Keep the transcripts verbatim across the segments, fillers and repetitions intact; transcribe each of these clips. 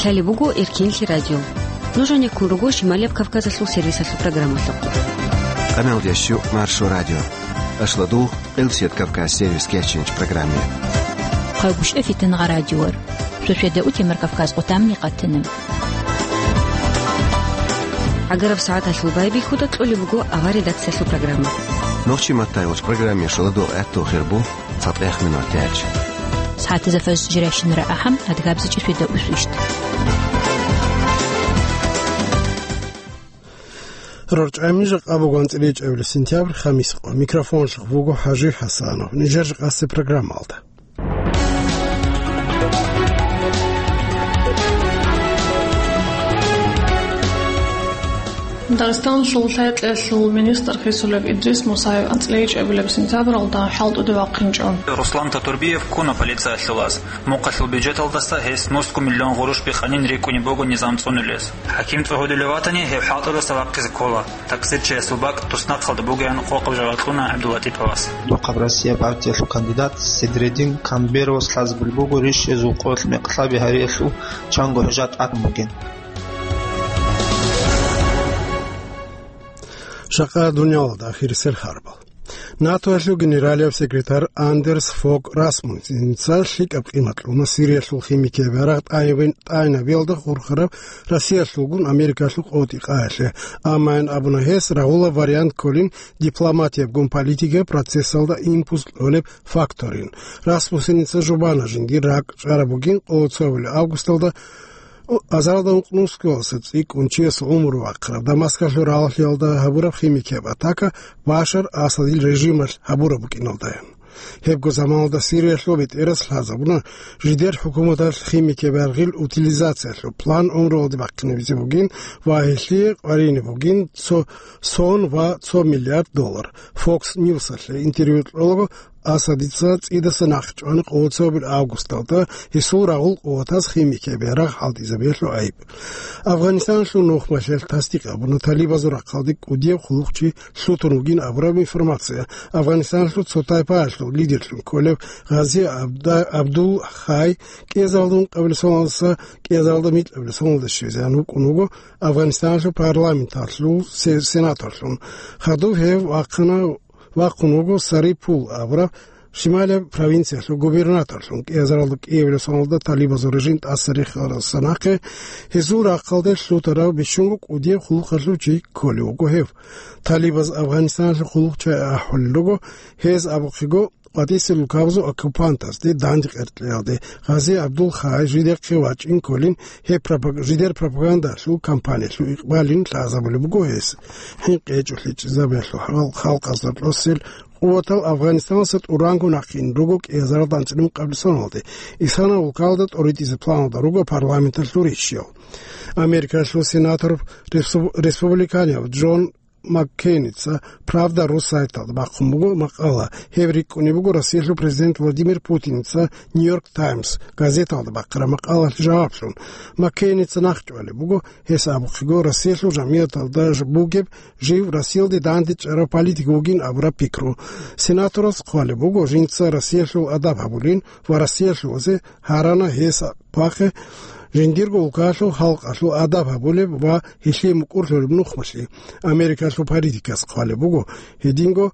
Лъалеб буго Эркенлъи радио. Нуж гьанеккун руго Шималияб Кавказалъул сервисалъул программалъухъ. Къаналдияс щу Маршо радио. Ашладул Къилсият Кавказ сервис кечинч программе. Хъайбушев Фитангъа радиор. Суседа утемар Кавказ къутамни къатана. ГӀагараб сагӀаталъул байбихьуда кьолеб буго авар редакциялъул программа. Нохчи маттайгъуч программе шаладул гӀаттул хирбу цатӀех минут тяч. СагӀатазда фаз жиращинара ахӀам, адгабзичӀи суседа усвищт. РорчӀами жакъа буган цӀиличӀабили сентябрь, хамис къо. Микрофонлъухъ буго ХӀажи ХӀасанов. Нижер жакъасе программалда. Дагъистаналъул лъай-кьеялъул министр хисулев Идрис Мусаев анцӀила ичӀабилеб сентябралда хӀалтӀуде вахъинчӀо. Руслан Татурбиев ккуна полициялъул ас. Мухъалъул бюджеталдаса гьес нусго миллион гъурущ бихъанин рикӀкӀунеб буго низам цӀунулес. ХӀаким цӀугьулев ватани, гьев хӀалтӀудаса вахъизе ккола. Таксирчиясул бакӀ туснахъалда бугеян къокъаб жо гьаркьуна ГӀабдуллатиповас. Мухъаб Россия партиялъул кандидат Седредин Камберовас лъазабулеб буго рищиязул къоялъ мекълъаби гьариялъул чанго хӀужат тӀад бугин. Жакъа дуниялалда ахирисел хабар. НАТОялъул генералияб секретарь Андерс Фог Расмуссеница лъикӀаб къимат кьуна Сириялъул химикияб ярагъ тӀайбин-, тӀайнабиялда хурхараб Россиялъулгун Америкалъул къотӀи-къаялъе. Амма ин абуна гьес, рагъулаб вариант кколин дипломатиябгун политикияб процессалда импульс кьолеб факторин. Расмуссеница жубана жиндир ракӀ чӀараб бугин къоло цоабилеб августалда азаралда ункънусгоялдаса цӀикӀкӀун чиясул гӀумру вахъараб Дамаскалъул рагьалъиялда гьабураб химикияб атака Башар Асадил режималъ гьабураб букӀиналдаян. Гьебго заманалда Сириялъул бетӀерас лъазабуна жидер хӀукуматалъ химикияб ярагъил утилизациялъул план гӀумруялде бахъинабизе бугин ва гьелъие къваригӀине бугин цо сон ва цо миллиард доллар. Fox News-алъе интервью кьолаго Асадица цӀидасан нахъчӀвана къоло цоабилеб августалда гьесул рагъул къуватаз химикияб ярагъ хӀалтӀизабиялъул гӀайиб. Афганистаналъул нухмалъиялъ тасдикъ гьабуна талибазул рахъалде кӀудияб хъулухъчи лъутун вугин абураб информация. Афганистаналъул цо тайпаялъул лидерлъун кколев Гъази Абда-, Абдул Хай кӀиазаралда ункъабилеб соналдаса кӀиазаралда микьабилеб соналда щвезегӀан вукӀун вуго Афганистаналъул парламенталъул се-, сенаторлъун. Хадуб гьев вахъана вахъун вуго Сарипул абураб шималияб провинциялъул губернаторлъун. КӀиазаралда кӀиабилеб соналда талибазул режим тӀаса рехаралдаса нахъе гьезул рахъалде лъутарав бищунго кӀудияб хъулухъалъул чи кколев вуго гьев. Талибаз Афганистаналъул хъулухъчагӀи ахӀулел руго, гьез абухъего къватӀисел рукабазул оккупантазде данде къеркьеялде. Гъази Абдул Хай жидехъе вачӀин кколин, гьеб пропаг-, жидер пропагандалъул кампаниялъул икъбалин лъазабулеб буго гьес. ХӀинкъи гьечӀолъи чӀезабиялъул хал-, халкъазда тӀосел къуватал Афганистаналдаса тӀуранго нахъе ин руго кӀиазаралда анцӀила ункъабилеб соналде. Исана улкалда тӀоритӀизе планалда руго парламенталъул рищиял. Америкалъул сенатор ресу-, республиканияб Джон Маккейница Правда ру сайталда бахъун буго макъала. Гьеб рикӀкӀунеб буго Россиялъул президент Владимир Путиница Нью-Йорк Таймс газеталда бахъараб макъалалъе жаваблъун. Маккейница нахъчӀвалеб буго, гьес абухъего Россиялъул жамигӀаталда ж-, бугеб жив Россиялде данде чӀараб политик вугин абураб пикру. Сенаторас хъвалеб буго, жинца Россиялъул адаб гьабулин ва Россиялъувазе гьарана гьес хъвахъе жиндирго улкалъул халкъалъул адаб гьабулеб ва гьелъие мукӀурлъулеб нухмалъи, Америкалъул политикас хъвалеб буго, гьединго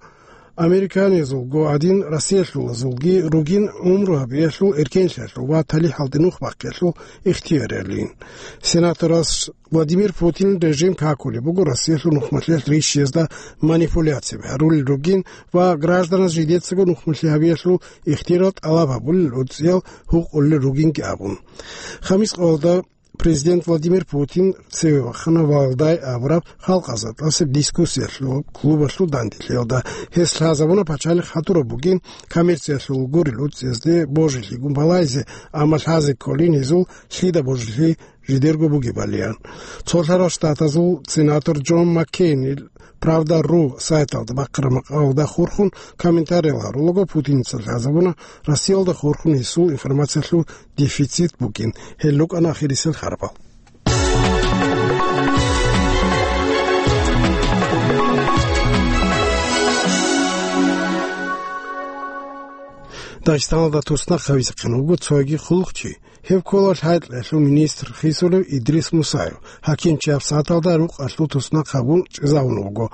американизулго гӀадин, россиялъулазулги ругин гӀумру гьабиялъул эркенлъиялъул ва талихӀалде нух бахъиялъул ихтияралин. Сенаторас Владимир Путин режим какулеб буго Россиялъул нухмалъиялъ рищиязда манипуляцияби гьарулел ругин ва гражданаз жидецаго нухмалъи гьабиялъул ихтияр тӀалаб гьабулел гӀуцӀиял гьукъулел ругинги абун. Хамис къоялда Президент Владимир Путин цеве вахана Валдай абураб халкъазда тӀасеб дискуссиялъул клубалъул данделъиялда. Гьес лъазабуна пачалихъ гьатӀураб бугин коммерциялъул гурел гӀуцӀиязде божилъи гумбалайзе, амма лъазе кколин гьезул лъида божилъи жидерго бугебалиян. Цолъарал Штатазул сенатор Джон Маккейнил Правда ру сайталда бахъараб макъалалда хурхун комментариял гьарулаго, Путиница лъазабуна Россиялда хурхун гьесул информациялъул дефицит букӀин. Гьел рукӀана ахирисел харбал. Дагъистаналда туснахъ гьавизехъин вуго цоги хъулухъчи. Гьев ккола лъай-кьеялъул министр хисулев Идрис Мусаев. ХӀакимчияс сагӀаталда рукъалъул туснахъ гьабун чӀезавун вуго.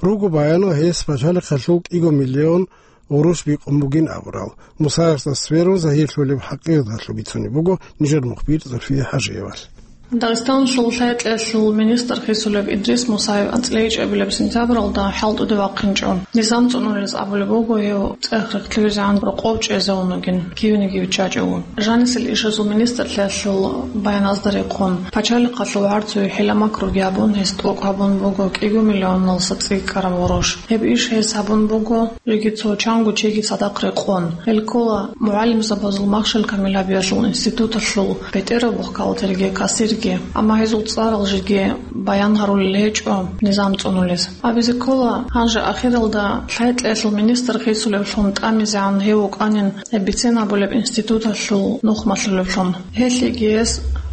Руго баянал, гьес пачалихъалъул кӀиго миллион гъурущ бикъун бугин абурал. Мусаевасда сверун загьирлъулеб хӀакъияталъул бицунеб буго нижер мухбир Зульфия ХӀажиевалъ. Дагъистаналъул лъай-кьеялъул министр хисулев Идрис Мусаев анцӀила ичӀабилеб сентябралда хӀалтӀуде вахъинчӀо. Низам цӀунулез абулеб буго, гьев цӀех-рехлъизегӀан рокъов чӀезавун вугин, кивниги виччачӀого. Жанисел ишазул министрлъиялъул баяназда рекъон, пачалихъалъул гӀарцуе хӀила-макруги гьабун, гьес тӀокӀ гьабун буго кӀиго миллионалдаса цӀикӀкӀараб гъурущ. Гьеб иш гьес гьабун буго жеги цо чанго чиги цадахъ рекъон. Гьел ккола мугӀалимзабазул махщел камил гьабиялъул институталъул бетӀерав бухгалтерги, кассирги, амма гьезул цӀарал жеги баян гьарулел гьечӀо низам цӀунулез. Абизе ккола, гьанже ахиралда лъай-кьеялъул министр хисулевлъун тӀамизегӀан гьев вукӀанин гьеб бицен гьабулеб институталъул нухмалъулевлъун. Гьелъиеги гьес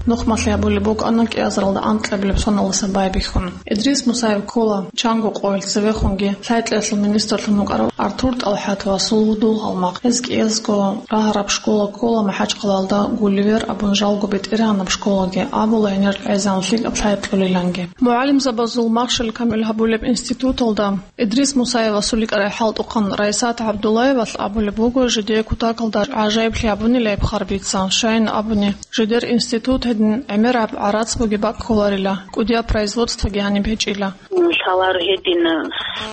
нухмалъи гьабулеб букӀана кӀиазаралда анкьабилеб соналдаса байбихьун. Идрис Мусаев ккола чанго къоялъ цевехунги лъай-кьеялъул министрлъун вукӀарав Артур ТӀалхӀатовасул гьудул-гьалмагъ. Гьез кӀиязго рагьараб школа ккола МахӀачхъалаялда Гулливер абун, жалго БетӀергьанаб школаги абула, гьенир гӀезегӀан лъикӀаб лъай кьолиланги. МугӀалимзабазул махщел камил гьабулеб институталда Идрис Мусаевасул йикӀарай хӀалтӀухъан Раисат ГӀабдуллаевалъ абулеб буго, жидее кутакалда гӀажаиблъи гьабунила гьеб харбица, щайин абуни, жидер институт гьедин гӀемераб гӀарац бугеб бакӀ кколарила, кӀудияб производствоги гьаниб гьечӀила. Лъаларо гьедин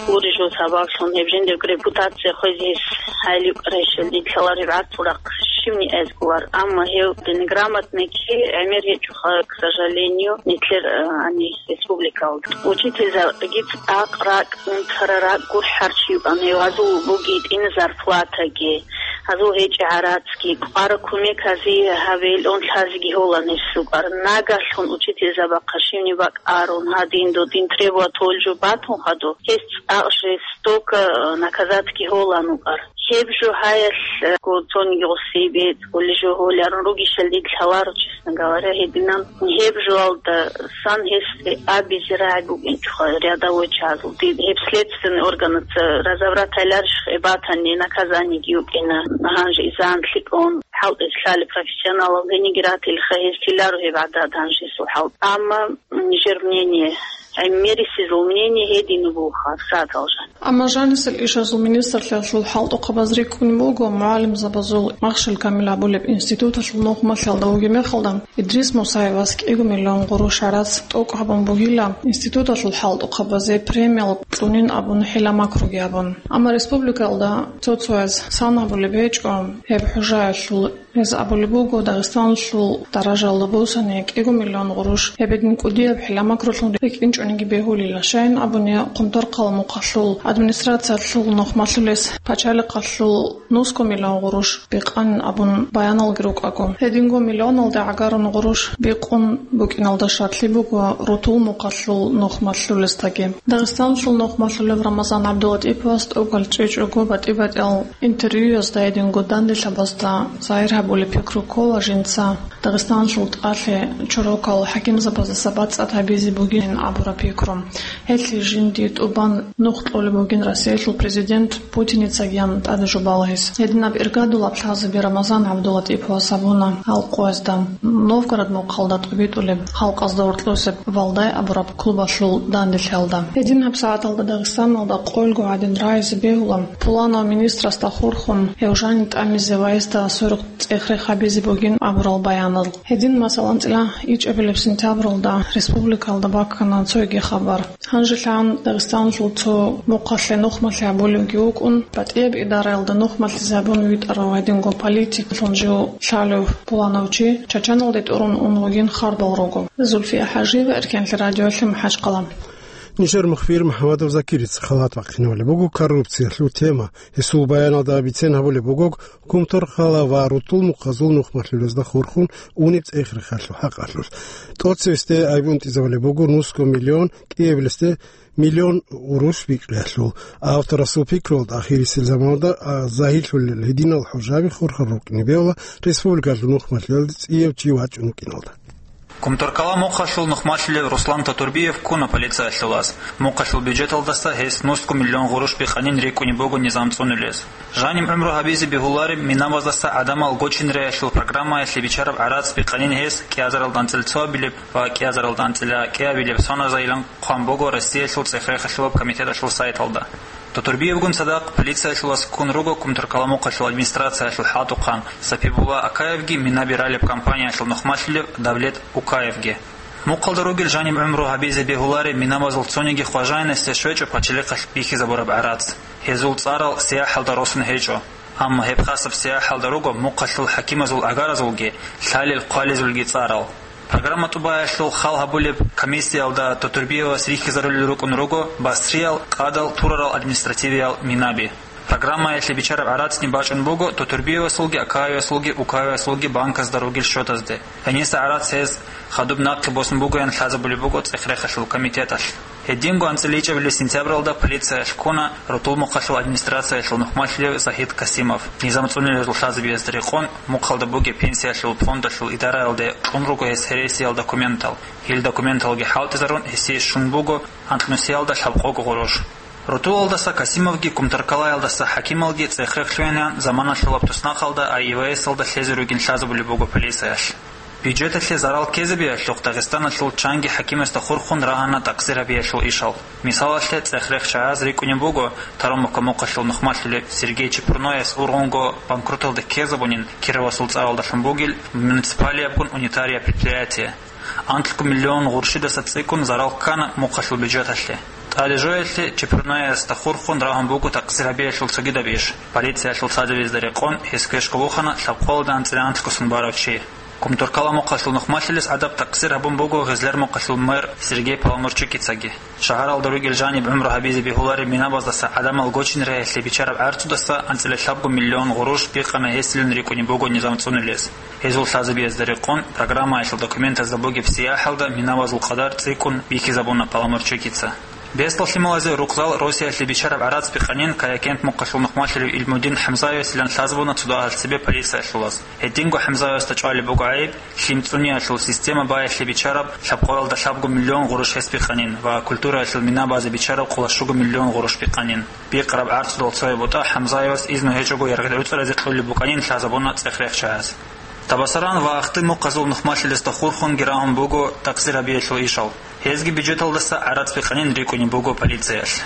гурищ жо сабаблъун гьеб жиндирго репутация хвезе гьес гьайилев кӀарайщал, дид лъалареб гӀарцул рахъ щивни эзгулар, амма гьев неграмотный чи гӀемер гьечӀоха, к сожалению, нилъер, э, гьаниб республикалда. Учительзабаги цӀакъ ракӀ унтараб, ракӀ гурхӀарав чи вукӀана, гьазул бугитӀина зарплатаги, гьазул гьечӀеб гӀарацги, кӀвараб кумек гьазие гьабейилан лъазеги гьолан гьес рукӀар. Нагагьлъун учительзабахъа щивни бакӀ арун, гьадин додин требовать гьолел жо батун хадуб, гьес цӀакъ жестоко, э, наказатьги гьолан вукӀар. Гьеб жо гьаялъ, э, цониги гъосие бецӀулел жо гьоларун ругищал, дид лъаларо, честно говоря, гьединан. Гьеб жоялдасан гьесде абизе рагӀи букӀинчӀоха рядовой чагӀазул. Дид гьеб следственный органаца разобрать гьайиларищха, гьеб батани наказаниеги йукӀина. Гьанже изан лъикӀун хӀалтӀизе лъалеб профессионалал, гьениги ратилаха, гьез тиларо гьеб гӀадад гьанже гьесул хӀалтӀи. Амма нижер мнение, гӀемерисезул мнение гьедин буго, сагӀаталда жан. Амма жанисел ишазул министрлъиялъул хӀалтӀухъабаз рикӀкӀунеб буго, мугӀалимзабазул махщел камил гьабулеб институталъул нухмалъиялда вугеб мехалда, Идрис Мусаевас кӀиго миллион гъурущ гӀарац тӀокӀ гьабун бугила, институталъул хӀалтӀухъабазе премиял кьунин абун хӀила-макруги гьабун. Амма республикалда цо-цояз сан гьабулеб гьечӀо гьеб хӀужаялъул. Гьез абулеб буго, Дагъистаналъул даражаялда босани кӀиго миллион гъурущ гьебедин кӀудияб хӀила-макрулъун рикӀкӀинчӀониги бегьулила, щайин абуни, Хъумторхъала мухъалъул администрациялъул нухмалъулес пачалихъалъул нусго миллион гъурущ бикъанин абун баяналги рукӀаго. Гьединго миллионалде гӀагарун гъурущ бикъун букӀиналда шартлъи буго рутул мухъалъул нухмалъулесдаги. Дагъистаналъул нухмалъулев Рамазан ГӀабдулатӀиповас тӀокӀал чӀечӀого батӀи-батӀиял интервьюязда гьединго данделъабазда загьир гьабулеб пикру ккола жинца Дагъистаналъул тӀалъи чорокал хӀакимзабаздаса бацӀцӀад гьабизе бугин абураб пикру. Гьелъие жиндие тӀубан нух кьолеб бугин Россиялъул президент Путиницагиян тӀаде жубала гьес. Гьединаб иргадулаб лъазаби Рамазан ГӀабдулатӀиповас гьабуна гьал къоязда, Новгород мухъалда тӀубитӀулеб, халкъазда гьоркьосеб Валдай абураб клубалъул данделъиялда. Гьединаб сагӀаталда Дагъистаналда къойилго гӀадин рагӀизе бегьула, пуланав министрасда хурхун, гьев жанив тӀамизе ва гьесда сверухъ цӀех-рех гьабизе бугин абурал баянал. Гьедин, масала, анцӀила ичӀабилеб сентябралда республикалда баккана цоги хабар. Гьанжелъан Дагъистаналъул цо мухъалъе нухмалъи гьабулевги вукӀун, батӀияб идараялда нухмалъизе гьабун витӀарав гьединго политиклъун жив лъалев пуланав чи Чачаналде тӀурун ун вугин хабарал руго. Зульфия ХӀажиева, Эркенлъи радиолъи, МахӀачхъала. Нижер мухбир МухӀамадов Закирица халат бахъинабулеб буго коррупциялъул тема. Гьесул баяналда бицен гьабулеб буго, Хъумторхъала ва рутул мухъазул нухмалъулезда хурхун унеб цӀех-рехалъул хӀакъалъулъ. ТӀоцевесде айбунтӀизабулеб буго нусго миллион, кӀиабилесде миллион гъурущ бикъиялъул. Авторасул пикруялда ахирисел заманалда, а, загьирлъулел гьединал хӀужаби хурхарал рукӀине бегьула республикалъул нухмалъиялде цӀияб чи вачӀун вукӀиналда. Кумтаркала мухъалъул нухмалъулев Руслан Татурбиев ккуна полициялъул лаз. Мухъалъул бюджеталдаса гьес нусго миллион гъурущ бикъанин рикӀкӀунеб буго низам цӀунулез. Жаниб гӀумру гьабизе бегьулареб Минабаздаса гӀадамал гочинариялъул программаялъе бичараб гӀарац бикъанин гьес кӀиазаралда анцӀила цоабилеб ва кӀиазаралда анцӀила кӀиабилеб соназайилан хъван буго Россиялъул цӀехрехалъулаб комитеталъул сайталда. Татурбиевгун цадахъ полициялъул лаз ккун руго Кумтаркала мухъалъул администрациялъул хӀалтӀухъан Сапибулла Акаевги Минаби ралеб компаниялъул нухмалъулев Давлет Укаевги. Мухъалда ругел жаниб гӀумру гьабизе бегьулареб Минабазул цониги хважаинасде щвечӀо пачалихъалъ бихьизабураб гӀарац. Гьезул цӀарал сияхӀалда росун гьечӀо. Амма гьеб хасаб сияхӀалда руго мухъалъул хӀакимазул агаразулги, лъалел хъвалезулги цӀарал. Программа тӀубаялъул хал гьабулеб комиссиялда Татурбиевас рихьизарулел рукӀун руго Басриял къадал турарал административиял Минаби. Программаялъе бичараб гӀарацни бачӀун буго Татурбиевасулги, Акаевасулги, Укаевасулги банказда ругел счетазде. Гьениса гӀарац гьез хадуб нахъе босун бугоян лъазабулеб буго цӀехрехалъул комитеталъ. Гьединго анцӀила ичӀабилеб сентябралда полициялъ ккуна Рутул мухъалъул администрациялъул нухмалъулев Загьид Касимов. Низам цӀунулезул лъазабиязда рекъон, мухъалда бугеб пенсиялъул фондалъул идараялде кьун руго гьес гьересиял документал. Гьел документалги хӀалтӀизарун, гьесие щун буго анкьнусиялда лъабкъого гъурущ. Рутулалдаса Касимовги Кумтаркалаялдаса хӀакималги цӀехрехлъугьинан заманалъулаб туснахъалда АИВС-алда лъезе ругин лъазабулеб буго полициялъ. Бюджеталъе зарал ккезабиялъухъ Дагъистаналъул чанги хӀакимасда хурхун рагьана такъсир гьабиялъул ишал. Мисалалъе, цӀехрехчагӀаз рикӀкӀунеб буго Таромовка мухъалъул нухмалъулеб Сергей Чепурнояс ургъунго банкроталде ккезабунин Кировасул цӀаралдалъун бугел муниципалиябгун унитария предприятие. Анкьго миллион гъурщидаса цӀикӀкӀун зарал ккана мухъалъул бюджеталъе. ТӀаде жоялъе Чепурноясда хурхун рагьун буго такъсир гьабиялъул цогидаб иш. Полициялъул лъазабиязда рекъон гьес квешго вухана лъабкъоялда анцӀила анкьго сон барав чи. Кумтаркала мухъалъул нухмалъулес гӀадаб такъсир гьабун буго Гъезлер мухъалъул мэр Сергей Паламурчикицаги. Шагьаралда ругел жаниб гӀумру гьабизе бегьулареб Минабаздаса гӀадамал гочинариялъе бичараб гӀарцудаса анцӀила лъабго миллион гъурущ бикъана гьесилан рикӀкӀунеб буго низам цӀунулез. Гьезул лъазабиязда рекъон, программаялъул документазда бугеб сияхӀалда Минабазул къадар цӀикӀкӀун бихьизабуна Паламурчикица. Бесдал лъималазе рукъзал Россиялъе бичараб гӀарац бикъанин Каякент мухъалъул нухмалъулев Илмудин ХӀамзаевасилан лъазабуна цо дагьал цебе полициялъул лаз. Гьединго ХӀамзаевасда чӀвалеб буго гӀайиб, лъим цӀуниялъул система баялъе бичараб лъабкъоялда лъабго миллион гъурущ гьес бикъанин ва культураялъул Минабазе бичараб къоло щуго миллион гъурущ бикъанин. Бикъараб гӀарцудал цояб бутӀа ХӀамзаевас изну гьечӀого яргъил гӀуцӀразе кьолеб букӀанин лъазабуна цӀехрехчагӀаз. Табасаран ва Ахтын мухъазул нухмалъилесда хурхунги рагьун буго такъсир гьабиялъул ишал. Гьезги бюджеталдаса гӀарац бикъанин рикӀкӀунеб буго полициялъ.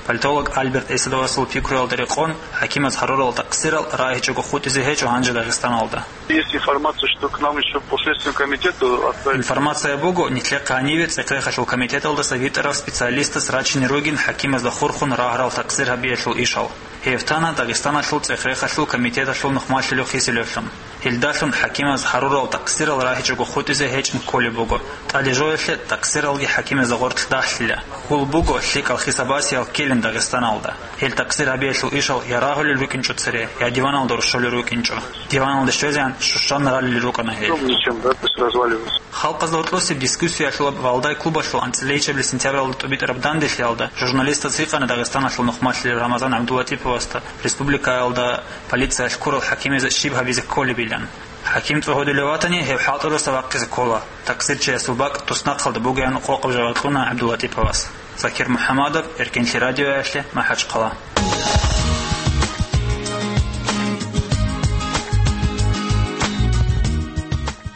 Политолог Альберт Эсадовасул пикруялда рекъон, хӀакимаз гьарурал такъсирал рагьичӀого хутӀизе гьечӀо гьанже Дагъистаналда. Есть информация, что к нам ещё по Следственному комитету отправили. Информация буго, нилъехъ гьаниве цӀехрехалъул комитеталдаса витӀарав специалистас рачине ругин хӀакимазда хурхун рагьарал такъсир гьабиялъул ишал. Гьев тана Дагъистаналъул цӀехрехалъул комитеталъул нухмалъулев хисилевлъун. Гьелдалъун хӀакимаз гьарурал такъсирал рагьичӀого хутӀизе гьечӀин кколеб буго. ТӀаде жоялъе такъсиралги хӀакимазда гъоркь дагьлъила. Хьул буго, лъикӀал хисабасиял ккелин Дагъистаналда. Гьел такъсир гьабиялъул ишал я рагьулел рукӀинчӀо цере, я диваналда рушулел рукӀинчӀо. Диваналде щвезегӀан щущан ралел рукӀана гьел. Ничем, да, то есть разваливается. Халкъазда гьоркьосеб дискуссиялъулаб Валдай клубалъул анцӀила ичӀабилеб сентябралда тӀубитӀараб данделъиялда журналистаз гьикъана Дагъистаналъул нухмалъулев Рамазан ГӀабдуллатиповасда республикаялда полициялъ ккурал хӀакимазе щиб гьабизе кколебилан. ХӀаким цӀогьодулев ватани, гьев хӀалтӀудаса вахъизе ккола. Такъсирчиясул бакӀ туснахъалда бугеян къокъаб жаваб кьуна ГӀабдуллатиповас. Закир МухӀамадов, Эркенлъи радиоялъе, МахӀачхъала.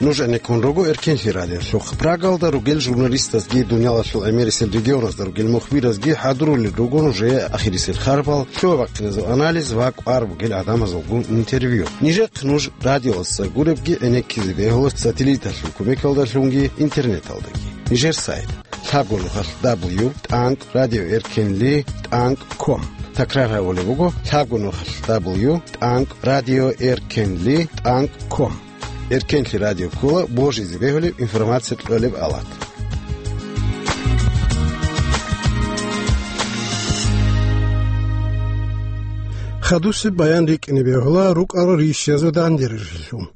Нуж гӀенеккун руго Эркенлъи радиолъухъ. Прагалда ругел журналистазги, дуниялалъул гӀемерисел регионазда ругел мухбиразги хӀадурулел руго нужее ахирисел харпал, лъугӀа-бахъиназул анализ ва кӀвар бугел гӀадамазулгун интервью. Нижехъ нуж радиоялдаса гуребги гӀенеккизе бегьула сателлиталъул кумекалдалъунги интернеталдаги. Нижер сайт: лъабго нухалъ дабл ю тӀанкӀ радио эркенли тӀанкӀ ком. Такрар гьабулеб буго: лъабго нухалъ дабл ю тӀанкӀ радио эркенли тӀанкӀ ком. Эркенлъи радио ккола божизе бегьулеб информация кьолеб алат. Хадусеб баян рикӀкӀине бегьула рукӀарал рищазул дандерилъун.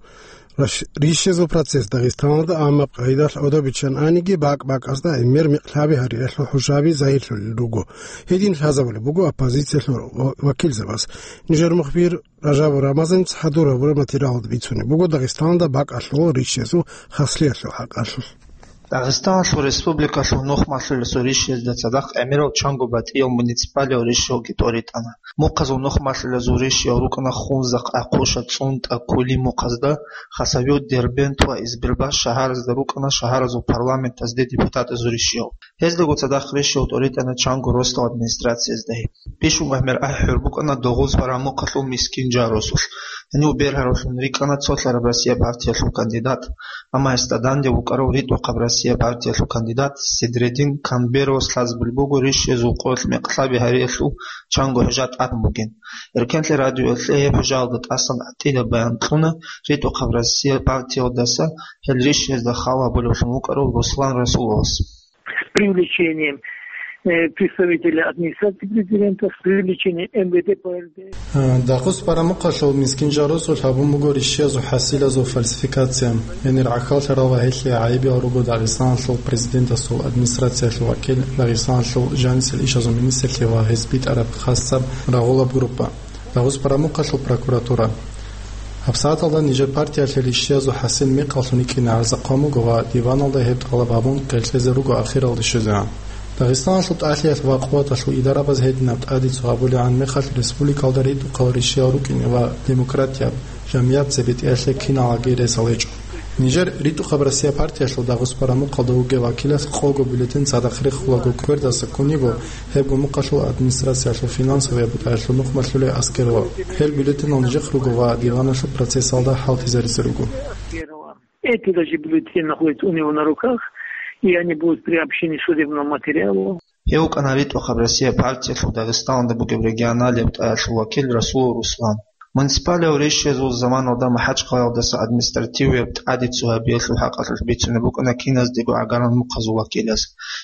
Раш-, рищазул процесс Дагъистаналда, амма къайдалъ гӀодобиччан аниги, бакӀ-бакӀазда гӀемер микьлъаби гьариялъул хӀужаби загьирлъулел руго. Гьедин лъазабулеб буго оппозициялъул ва-, вакилзабаз. Нижер мухбир Ражабов Рамазан цадахъ гьабураб материалалда бицунеб буго Дагъистаналда бакӀалъул рищазул хаслиялъул хӀакъалъулъ. Дагъистаналъул республикалъул нухмалъулесул ришиязда цадахъ гӀемерал чанго батӀиял муниципалиял ришиялги тӀоритӀана. Мухъазул нухмалъулезул ришиял рукӀана Хунзахъ, Ахъуша, ЦӀунтӀа, Кули мухъазда, Хасавюрт, Дербент ва Избербаш шагьаразда рукӀана шагьаразул парламентазде депутатазул ришиял. Гьездаго цадахъ ришиял тӀоритӀана чанго росдал администрациязда. Бищун гӀемер ахӀи-хӀур букӀана Дагъуз Парамухъалъул Мискин Жарусулъ. Гьанив бергьарулъун рикӀкӀана цолъараб Россия партиялъул кандидат, амма гьесда данде вукӀарав ритӀухъаб Россия партиялъул кандидат Седредин Камберовас лъазабулеб буго ришиязул къоялъ мекълъаби гьариялъул чанго хӀужа тӀад бугин. Эркенлъи радиоялъе гьеб хӀужаялда тӀасан гӀатӀида баян кьуна ритӀухъаб Россия партиялдаса гьел ришиязда хал гьабулевлъун вукӀарав Руслан Расуловас. С привлечением, э, представителя администрации президента, с привлечением М В Д П Р Д. Дагъуз Парамухъалъул Мискин Жарусулъ гьабун буго ришиязул хӀасилазул фальсификация. Гьенир гӀахьаллъарал ва гьелъие гӀайибиял руго Дагъистаналъул президентасул администрациялъул вакил, Дагъистаналъул жанисел ишазул министрлъи ва гьез битӀараб хасаб рагъулаб группа. Дагъуз Парамухъалъул прокуратура. ГьабсагӀаталда нижер партиялъе ришиязул хӀасил мекъаллъун рикӀкӀине гӀарза хъван буго ва диваналда гьеб тӀалаб гьабун къеркьезе руго ахиралде щвезегӀан. Дагъистаналъул тӀалъиялъ ва къуваталъул идарабаз гьединаб тӀадицу гьабулегӀан мехалъ республикалда ритӀухъал ришиял рукӀине ва демократияб жамигӀат цебетӀиялъе киналги ресал гьечӀо. Нижер ритӀухъаб Россия партиялъул Дагъуз Парамухъалда вугев вакилас къого бюллетень цадахъ рехулаго квердаса ккун йиго гьеб гумухъалъул администрациялъул финансовияб бутӀаялъул нухмалъулей аскерла. Гьел бюллетенал нижехъ руго ва диваналъул процессалда хӀалтӀизаризе руго. Эти даже бюллетени находятся у него на руках, и они будут приобщены к судебному материалу. Гьев вукӀана ритӀухъаб Россия партиялъул Дагъистаналда бугеб регионалияб тӀаялъул вакил Расулов Руслан. Муниципалиял ришиязул заманалда МахӀачхъалаялдаса административияб тӀадицу гьабиялъул хӀакъалъулъ бицунеб букӀана киназдего гӀагарал мухъазул вакилаз.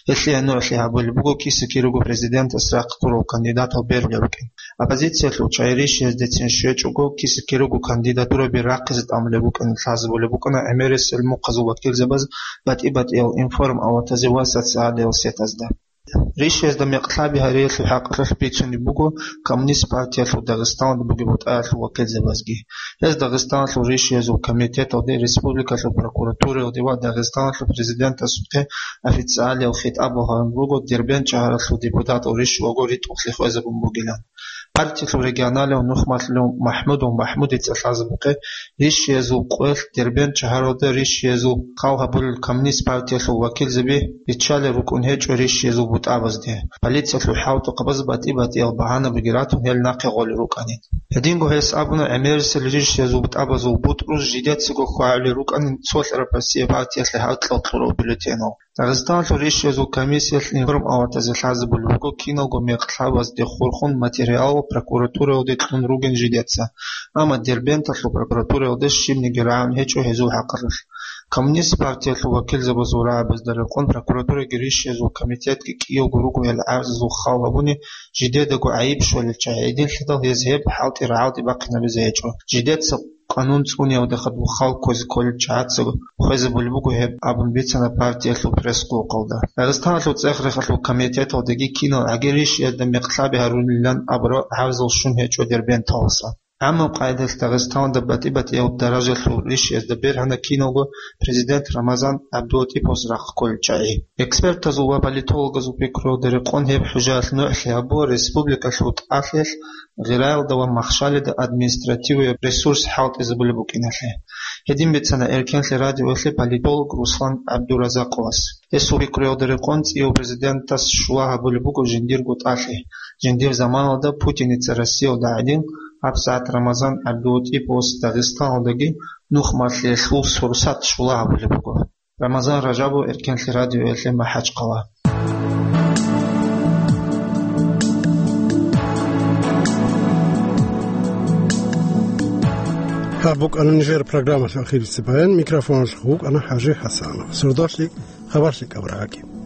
Гьелъие нугӀлъи гьабулеб буго киса-кирего президентас рахъ гурал кандидатал берулеб букӀин. Оппозициялъул чагӀи ришияздецин щвечӀого киса-кирего кандидатураби рахъизе тӀамулеб букӀин лъазабулеб букӀана гӀемерисел мухъазул вакилзабаз батӀи-батӀиял информаватазе ва социалиял сетазда. Ришиязда мекълъаби гьариялъул хӀакъалъулъ бицунеб буго Коммунист партиялъул Дагъистаналда бугеб бутӀаялъул вакилзабазги. Гьез Дагъистаналъул ришиязул комитеталде, республикалъул прокуратураялде ва Дагъистаналъул президентасухъе официалиял хитӀаб багьарун руго Дербент шагьаралъул депутатал ришиялго ритӀухълъи хвезабун бугилан. Партиялъул регионалияб нухмалъулев МахӀмудов МахӀмудица лъазабухъе ришиязул къоялъ Дербент шагьаралда ришиязул хал гьабулел Коммунист партиялъул вакилзаби риччалел рукӀун гьечӀо ришиязул бутӀабазде. Полициялъул хӀалтӀухъабаз батӀи-батӀиял багьанабиги ратун гьел нахъе гъолел рукӀанин. Гьединго гьес абуна гӀемерисел ришиязул бутӀабазул бутӀрул жидецаго хьвагӀулел рукӀанин цолъараб Россия партиялъе гьаркьал кьурал бюллетенал. Дагъистаналъул ришиязул комиссиялъ информаватазе лъазабулеб буго киналго мекълъабазде хурхун материал прокуратураялде кьун ругин жидеца, амма Дербенталъул прокуратураялде щибниги рагӀун гьечӀо гьезул хӀакъалъулъ. Коммунист партиялъул вакилзабазул рагӀабазда рекъон прокуратураги ришиязул комитетги кӀиявго руго гьел гӀарзазул хал гьабуни, жидедаго гӀайиб щолел чагӀи гӀединлъидал гьез гьеб хӀалтӀи рагӀалде бахъинабизе гьечӀо. Жидеца къанун цӀуниялда хадуб хал кквезе кколел чагӀаца хвезабулеб буго гьеб абун бицана партиялъул пресс-къулухъалда. Дагъистаналъул цӀех-рехалъул комитеталдаги кинал гӀаги ришиязда мекълъаби гьарулилан абураб гӀарзал щун гьечӀо Дербенталдаса. ГӀаммаб къайдалъ Дагъистаналда батӀи-батӀияб даражалъул ришиязда бергьана киналго президент Рамазан ГӀабдулатӀиповас рахъ кколел чагӀи. Экспертазул ва политологазул пикруялда рекъон гьеб хӀужаялъ нугӀлъи гьабула республикалъул тӀалъиялъ гъираялда ва махщалида административияб ресурс хӀалтӀизабулеб букӀиналъе. Гьедин бицана Эркенлъи радиоялъе политолог Руслан ГӀабдуразакъовас. Гьесул пикруялда рекъон цӀияв президентас щула гьабулеб буго жиндирго тӀалъи. Жиндир заманалда Путиница Россиялда гӀадин, гьабсагӀат Рамазан ГӀабдулатӀиповас Дагъистаналдаги нухмалъиялъул сурсат щула гьабулеб буго. Рамазан Ражабов, Эркенлъи радиоялъе, МахӀачхъала. Гьаб букӀана нижер программалъул ахирлъи баян, микрофоналъухъ вукӀана ХӀажи ХӀасанов. Сордоялъ хабар лъикӀаб рагӀаги.